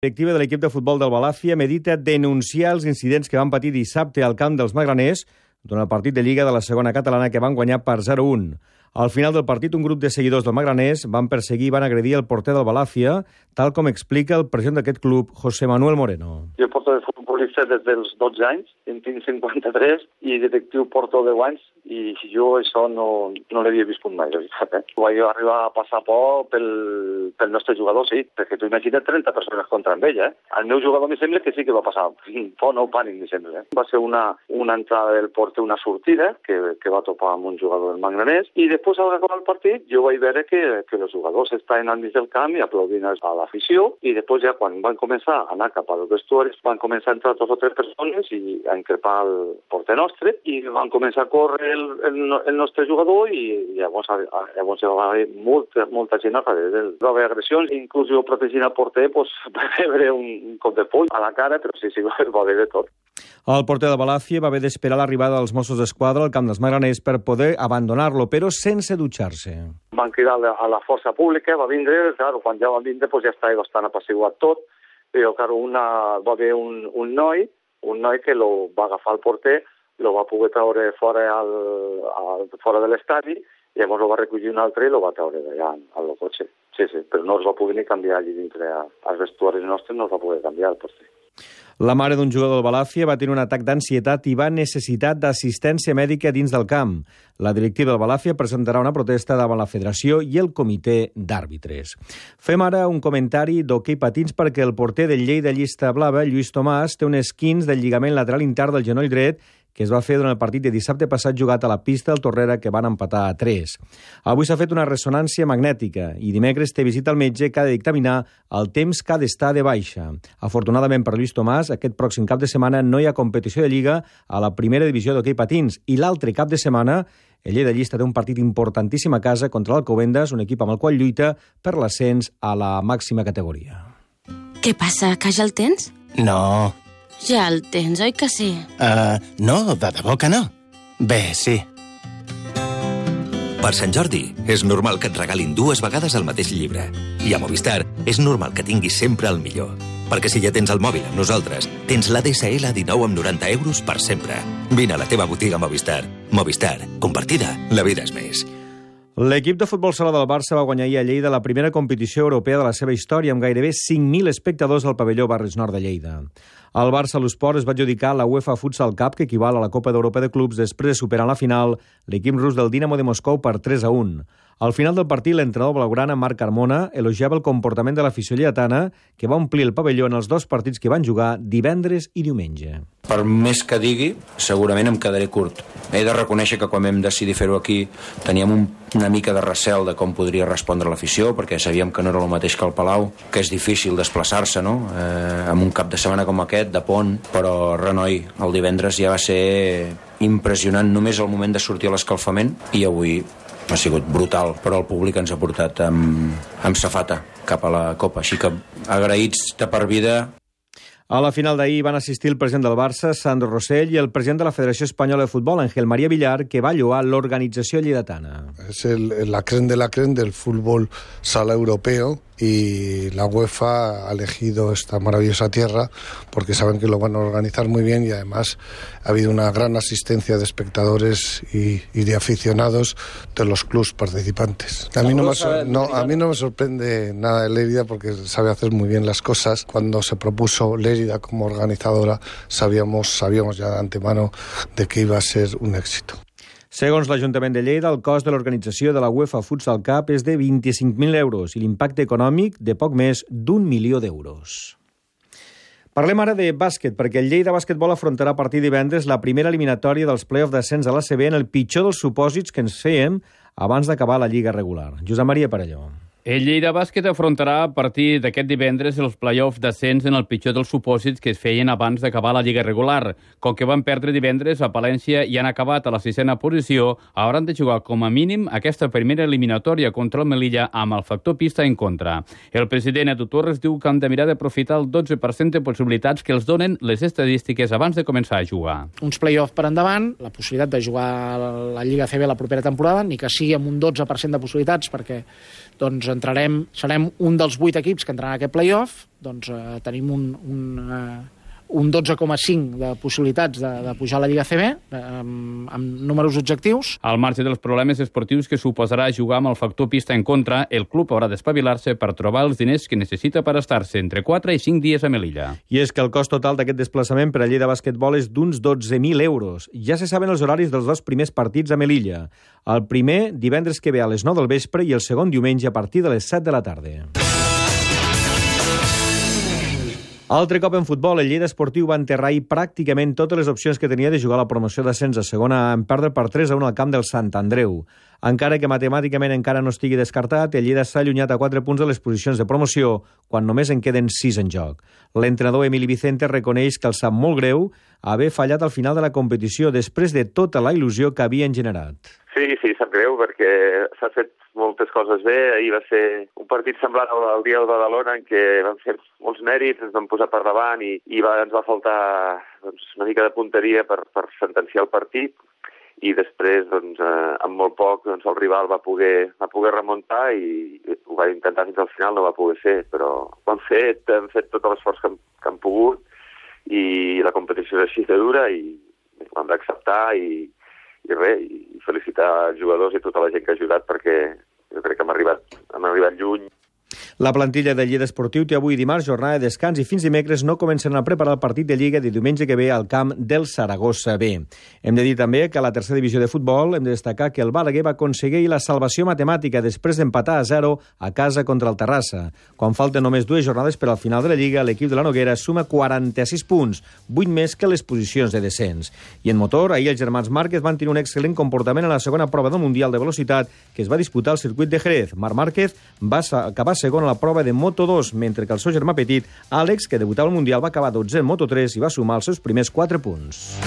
La directiva de l'equip de futbol del Balàfia medita denunciar els incidents que van patir dissabte al camp dels Magraners durant el partit de Lliga de la segona catalana que van guanyar per 0-1. Al final del partit, un grup de seguidors del Magraners van perseguir i van agredir el porter del Balàfia, tal com explica el president d'aquest club, José Manuel Moreno. Jo porto de futbolista des dels 12 anys, en tinc 53, i detectiu porto 10 anys, i jo això no l'havia viscut mai, la veritat. Vaig arribar a passar por pel nostre jugador, sí, perquè tu imagina't 30 persones contra ell, eh? El meu jugador me sembla que sí que va passar por, no pànic, me sembla. Va ser una entrada del porter, una sortida, que va topar amb un jugador del Magraners, i després, a l'acabar el partit, jo vaig veure que els jugadors estaven al mig del camp i aplaudint a l'afició, i després ja quan van començar a anar cap als vestuaris, van començar a entrar 2 o 3 persones i a increpar el porter nostre, i van començar a córrer el nostre jugador, i llavors hi va haver molta gent a darrere. Va haver agressions, inclús jo protegint el porter, va rebre un cop de poll a la cara, però sí, va haver de tot. El porter de Balàfia va haver d'esperar l'arribada dels Mossos d'Esquadra al camp dels Magraners per poder abandonar-lo, però sense dutxar-se. Van cridar a la força pública, va vindre, claro, quan ja van vindre ja estava bastant apaciguat tot, però claro, va haver un noi que lo va agafar el porter, lo va poder treure fora de l'estadi, i llavors lo va recollir un altre i lo va treure d'allà al cotxe. Sí, però no es va poder ni canviar allà dintre als vestuaris nostres, no es va poder canviar el porter. La mare d'un jugador del Balàfia va tenir un atac d'ansietat i va necessitar d'assistència mèdica dins del camp. La directiva del Balàfia presentarà una protesta davant la federació i el comitè d'àrbitres. Fem ara un comentari d'hoquei patins perquè el porter del Lleida Llista Blava, Lluís Tomàs, té un esquinç del lligament lateral intern del genoll dret que es va fer durant el partit de dissabte passat jugat a la pista del Torrera, que van empatar a 3. Avui s'ha fet una ressonància magnètica i dimecres té visita al metge que ha de dictaminar el temps que ha d'estar de baixa. Afortunadament per Lluís Tomàs, aquest pròxim cap de setmana no hi ha competició de Lliga a la primera divisió d'hoquei patins i l'altre cap de setmana el Lleida Llista té un partit importantíssim a casa contra l'Alcobendas, un equip amb el qual lluita per l'ascens a la màxima categoria. Què passa, que ja el tens? No. Ja el tens, oi que sí? No, de debò que no. Bé, sí. Per Sant Jordi, és normal que et regalin 2 vegades el mateix llibre. I a Movistar, és normal que tinguis sempre el millor. Perquè si ja tens el mòbil amb nosaltres, tens l'ADSL a 19,90 € per sempre. Vine a la teva botiga Movistar. Movistar, compartida, la vida és més. L'equip de futbol sala del Barça va guanyar ahir a Lleida la primera competició europea de la seva història amb gairebé 5.000 espectadors al pavelló Barris Nord de Lleida. El Barça a l'Esport es va adjudicar la UEFA Futsal Cup, que equival a la Copa d'Europa de Clubs, després de superar en la final l'equip rus del Dinamo de Moscou per 3-1. Al final del partit, l'entrenador blaugrana Marc Carmona elogiava el comportament de l'afició lleidatana, que va omplir el pavelló en els 2 partits que van jugar divendres i diumenge. Per més que digui, segurament em quedaré curt. He de reconèixer que quan vam decidir fer-ho aquí teníem una mica de recel de com podria respondre l'afició, perquè sabíem que no era el mateix que el Palau, que és difícil desplaçar-se, no? Amb un cap de setmana com aquest, de pont, però renoi, el divendres ja va ser impressionant només el moment de sortir a l'escalfament, i avui ha sigut brutal, però el públic ens ha portat amb safata cap a la Copa, així que agraïts de per vida. A la final d'ahir van assistir el president del Barça, Sandro Rosell, i el president de la Federació Espanyola de Futbol, Ángel María Villar, que va lloar l'organització lleidatana. Es la crème del fútbol sala europeo, y la UEFA ha elegido esta maravillosa tierra porque saben que lo van a organizar muy bien, y además ha habido una gran asistencia de espectadores y de aficionados de los clubes participantes. A mí no me sorprende nada de Lérida porque sabe hacer muy bien las cosas. Cuando se propuso Lérida como organizadora sabíamos ya de antemano de que iba a ser un éxito. Segons l'Ajuntament de Lleida, el cost de l'organització de la UEFA Futsal Cup és de 25.000 € i l'impacte econòmic de poc més d'1 milió d'euros. Parlem ara de bàsquet, perquè el Lleida Basquetbol afrontarà a partir de divendres la primera eliminatòria dels play-off d'ascens a l'ACB en el pitjor dels supòsits que ens fèiem abans d'acabar la Lliga regular. Josep Maria Parelló. El Lleida Bàsquet afrontarà a partir d'aquest divendres els play-offs d'ascens en el pitjor dels supòsits que es feien abans d'acabar la Lliga regular. Com que van perdre divendres a Palència i han acabat a la 6a posició, hauran de jugar com a mínim aquesta primera eliminatòria contra el Melilla amb el factor pista en contra. El president Edu Torres diu que han de mirar d'aprofitar el 12% de possibilitats que els donen les estadístiques abans de començar a jugar. Uns play-offs per endavant, la possibilitat de jugar a la Lliga CB la propera temporada, ni que sigui amb un 12% de possibilitats, perquè doncs serem un dels 8 equips que entraran a aquest play-off, doncs tenim un 12,5 de possibilitats de pujar a la Lliga CB, amb números objectius. Al marge dels problemes esportius que suposarà jugar amb el factor pista en contra, el club haurà d'espavilar-se per trobar els diners que necessita per estar-se entre 4 i 5 dies a Melilla. I és que el cost total d'aquest desplaçament per a Lleida Basquetbol és d'uns 12.000 euros. Ja se saben els horaris dels 2 primers partits a Melilla. El primer, divendres que ve a les 9 del vespre, i el segon diumenge a partir de les 7 de la tarda. Altre cop en futbol, el Lleida Esportiu va enterrar pràcticament totes les opcions que tenia de jugar a la promoció d'ascens a segona en perdre per 3-1 al camp del Sant Andreu. Encara que matemàticament encara no estigui descartat, el Lleida s'ha allunyat a 4 punts de les posicions de promoció, quan només en queden 6 en joc. L'entrenador Emili Vicente reconeix que el sap molt greu haver fallat al final de la competició després de tota la il·lusió que havien generat. Sí, sap greu, perquè s'ha fet moltes coses bé. Ahir va ser un partit semblant al dia de Badalona, en què vam fer molts mèrits, ens vam posar per davant i ens va faltar una mica de punteria per sentenciar el partit. I després, amb molt poc, el rival va poder remuntar i ho va intentar fins al final, no va poder ser, però ho han fet tot l'esforç que han pogut i la competició és així de dura i ho hem d'acceptar i felicitar els jugadors i tota la gent que ha ajudat, perquè jo crec que hem arribat lluny. La plantilla del Lleida Esportiu té avui dimarts jornada de descans i fins dimecres no comencen a preparar el partit de Lliga de diumenge que ve al camp del Saragossa B. Hem de dir també que a la tercera divisió de futbol hem de destacar que el Balaguer va aconseguir la salvació matemàtica després d'empatar a 0 a casa contra el Terrassa. Quan falten només 2 jornades per al final de la Lliga, l'equip de la Noguera suma 46 punts, 8 més que les posicions de descens. I en motor, ahir els germans Márquez van tenir un excel·lent comportament en la segona prova del Mundial de Velocitat que es va disputar al circuit de Jerez. Marc Márquez va acabar segon a la prova de Moto2, mentre que el seu germà petit, Àlex, que debutava al Mundial, va acabar 12è en Moto3 i va sumar els seus primers 4 punts.